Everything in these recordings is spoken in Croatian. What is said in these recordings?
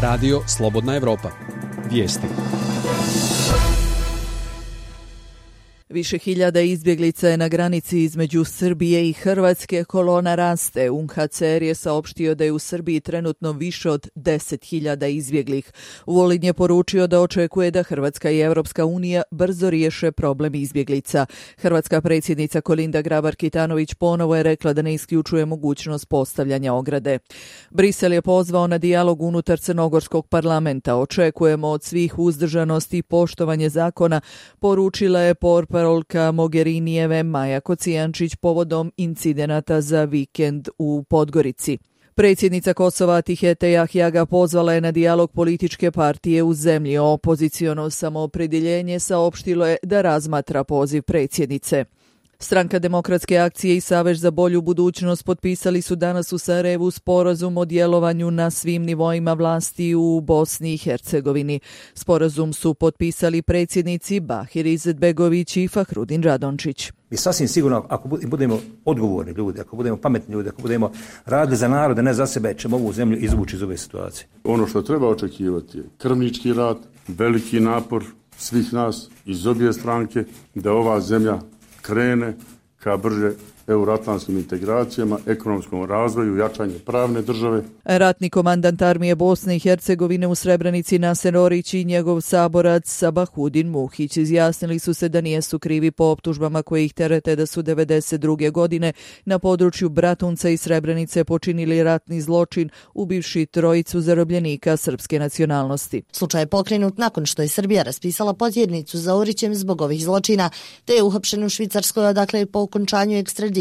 Radio Slobodna Evropa. Vijesti. Više hiljada izbjeglica je na granici između Srbije i Hrvatske, kolona raste. UNHCR je saopštio da je u Srbiji trenutno više od 10.000 izbjeglih. Vulin je poručio da očekuje da Hrvatska i Europska unija brzo riješe problem izbjeglica. Hrvatska predsjednica Kolinda Grabar-Kitarović ponovo je rekla da ne isključuje mogućnost postavljanja ograde. Brisel je pozvao na dijalog unutar Crnogorskog parlamenta. Očekujemo od svih uzdržanost i poštovanje zakona, poručila je portparolka Mogherinijeve Maja Kocijančić povodom incidenata za vikend u Podgorici. Predsjednica Kosova Tihete Jahjaga pozvala je na dijalog političke partije u zemlji. Opoziciono samoopredjeljenje saopštilo je da razmatra poziv predsjednice. Stranka Demokratske akcije i Savez za bolju budućnost potpisali su danas u Sarajevu sporazum o djelovanju na svim nivoima vlasti u Bosni i Hercegovini. Sporazum su potpisali predsjednici Bahir Izetbegović i Fahrudin Radončić. Mi sasvim sigurno, ako budemo odgovorni ljudi, ako budemo pametni ljudi, ako budemo radili za narod, a ne za sebe, ćemo ovu zemlju izvući iz ove situacije. Ono što treba očekivati je krvnički rad, veliki napor svih nas iz obje stranke da ova zemlja krene ka brže euroatlantskim integracijama, ekonomskom razvoju, jačanju pravne države. Ratni komandant armije Bosne i Hercegovine u Srebrenici Naser Orić i njegov saborac Sabahudin Muhić izjasnili su se da nijesu krivi po optužbama koje ih terete da su 1992. godine na području Bratunca i Srebrenice počinili ratni zločin ubivši trojicu zarobljenika srpske nacionalnosti. Slučaj je pokrenut nakon što je Srbija raspisala potjernicu za Orićem zbog ovih zločina, te je uhapšen u Švicarskoj, odakle je po okončanju ekstradicijskog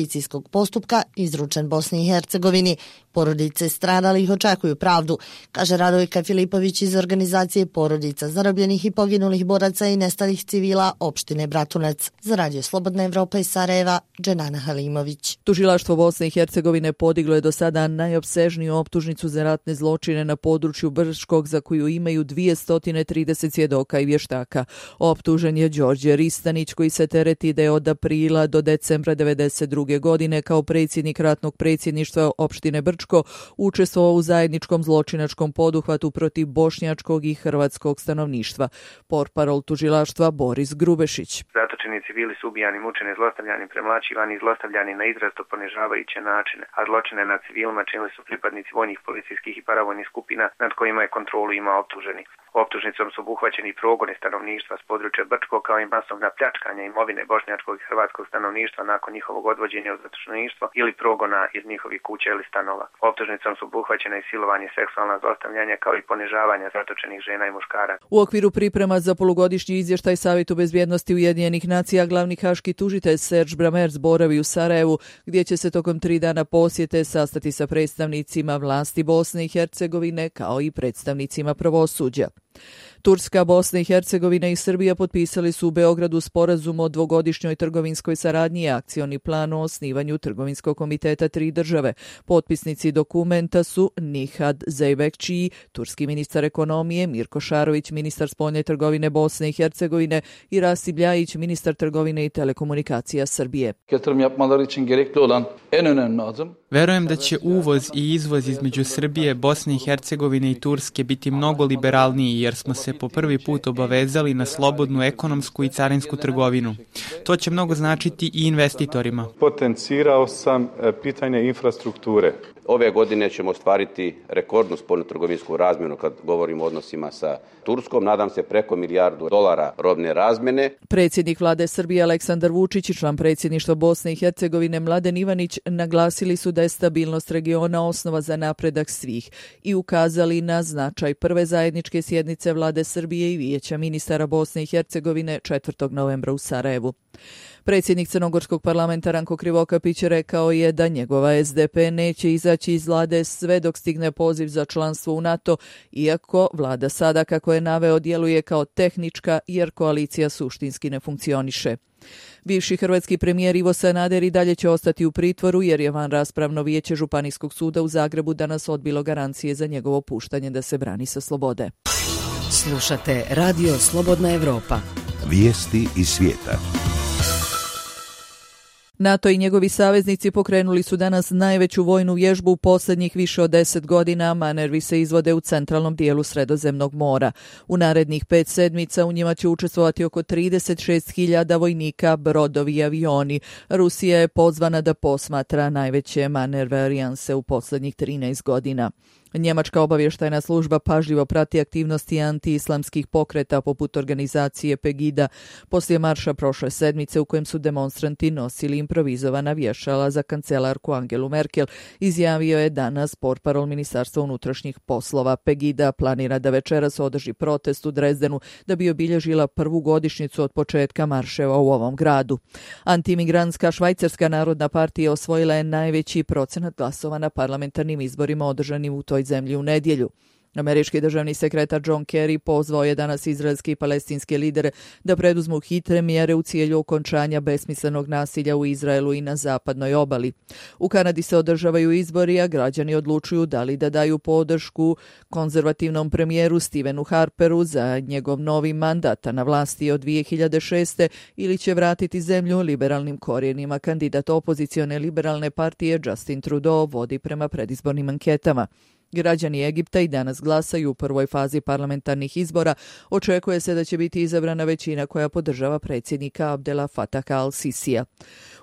postupka izručen Bosni i Hercegovini. Porodice stradalih očekuju pravdu, kaže Radojka Filipović iz organizacije Porodica zarobljenih i poginulih boraca i nestalih civila opštine Bratunac. Za Radio Slobodna Evropa iz Sarajeva, Dženana Halimović. Tužilaštvo Bosne i Hercegovine podiglo je do sada najopsežniju optužnicu za ratne zločine na području Brčkog, za koju imaju 230 svjedoka i vještaka. Optužen je Đorđe Ristanić, koji se tereti da je od aprila do decembra 1992. godine kao predsjednik ratnog predsjedništva opštine Brčko učestvovao u zajedničkom zločinačkom poduhvatu protiv bošnjačkog i hrvatskog stanovništva. Portparol tužilaštva Boris Grubešić. Zatočeni civili su ubijani, mučeni, zlostavljani, premlaćivani i zlostavljani na izrazito ponižavajuće načine, a zločine nad civilima činili su pripadnici vojnih, policijskih i paravojnih skupina nad kojima je kontrolu imao optuženi. Optužnicom su obuhvaćeni progoni stanovništva s područja Brčkog kao i masovna pljačkanja imovine bošnjačkog i hrvatskog stanovništva nakon njihovog odvođenja u zatočeništvo ili progona iz njihovih kuća ili stanova. Optužnicom su obuhvaćena i silovanje, seksualna zlostavljanja kao i ponižavanja zatočenih žena i muškaraca. U okviru priprema za polugodišnji izvještaj Savjetu bezbjednosti Ujedinjenih nacija glavni haški tužitelj Serge Brammertz boravi u Sarajevu, gdje će se tokom 3 dana posjete sastati sa predstavnicima vlasti Bosne i Hercegovine kao i predstavnicima pravosuđa. Turska, Bosna i Hercegovina i Srbija potpisali su u Beogradu sporazum o dvogodišnjoj trgovinskoj saradnji i akcioni plan o osnivanju trgovinskog komiteta 3 države. Potpisnici dokumenta su Nihad Zeybekçi, turski ministar ekonomije, Mirko Šarović, ministar spoljne trgovine Bosne i Hercegovine i Rasim Ljajić, ministar trgovine i telekomunikacija Srbije. Verujem da će uvoz i izvoz između Srbije, Bosne i Hercegovine i Turske biti mnogo liberalniji jer smo se po prvi put obavezali na slobodnu ekonomsku i carinsku trgovinu. To će mnogo značiti i investitorima. Potencirao sam pitanje infrastrukture. Ove godine ćemo ostvariti rekordnu spoljnotrgovinsku razmjenu kad govorimo o odnosima sa Turskom. Nadam se preko $1 milijardu robne razmjene. Predsjednik vlade Srbije Aleksandar Vučić i član predsjedništva Bosne i Hercegovine Mladen Ivanić naglasili su da je stabilnost regiona osnova za napredak svih i ukazali na značaj prve zajedničke sjednice vlade Srbije i Vijeća ministara Bosne i Hercegovine 4. novembra u Sarajevu. Predsjednik Crnogorskog parlamenta Ranko Krivokapić rekao je da njegova SDP neće izaći iz vlade sve dok stigne poziv za članstvo u NATO, iako vlada sada, kako je naveo, djeluje kao tehnička jer koalicija suštinski ne funkcioniše. Bivši hrvatski premijer Ivo Sanader i dalje će ostati u pritvoru jer je vanraspravno vijeće Županijskog suda u Zagrebu danas odbilo garancije za njegovo puštanje da se brani sa slobode. Slušate Radio Slobodna Evropa. Vijesti iz svijeta. NATO i njegovi saveznici pokrenuli su danas najveću vojnu vježbu u posljednjih više od 10 godina. Manevi se izvode u centralnom dijelu Sredozemnog mora. U narednih 5 sedmica u njima će učestvovati oko 36.000 vojnika, brodovi i avioni. Rusija je pozvana da posmatra najveće manerve alijanse u posljednjih 13 godina. Njemačka obavještajna služba pažljivo prati aktivnosti anti-islamskih pokreta poput organizacije Pegida poslije marša prošle sedmice u kojem su demonstranti nosili improvizovana vješala za kancelarku Angelu Merkel, izjavio je danas portparol Ministarstva unutrašnjih poslova. Pegida planira da večeras održi protest u Drezdenu da bi obilježila prvu godišnjicu od početka marševa u ovom gradu. Antimigrantska Švajcarska narodna partija osvojila je najveći procenat glasova na parlamentarnim izborima održanim u toj zemlji u nedjelju. Američki državni sekretar John Kerry pozvao je danas izraelske i palestinske lidere da preduzmu hitre mjere u cilju okončanja besmislenog nasilja u Izraelu i na zapadnoj obali. U Kanadi se održavaju izbori, a građani odlučuju da li da daju podršku konzervativnom premijeru Stevenu Harperu za njegov novi mandat na vlasti od 2006. ili će vratiti zemlju liberalnim korijenima. Kandidat opozicione liberalne partije Justin Trudeau vodi prema predizbornim anketama. Građani Egipta i danas glasaju u prvoj fazi parlamentarnih izbora. Očekuje se da će biti izabrana većina koja podržava predsjednika Abdela Fataha al-Sisija.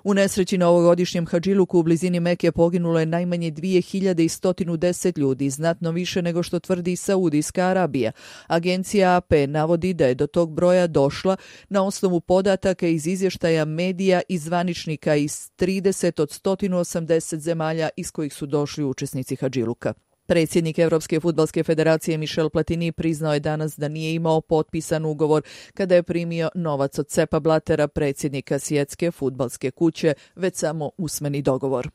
U nesreći na ovogodišnjem Hadžiluku u blizini Meke poginulo je najmanje 2110 ljudi, znatno više nego što tvrdi Saudijska Arabija. Agencija AP navodi da je do tog broja došla na osnovu podataka iz izvještaja medija i zvaničnika iz 30 od 180 zemalja iz kojih su došli učesnici Hadžiluka. Predsjednik Europske fudbalske federacije Michel Platini priznao je danas da nije imao potpisan ugovor kada je primio novac od Seppa Blattera, predsjednika Svjetske fudbalske kuće, već samo usmeni dogovor.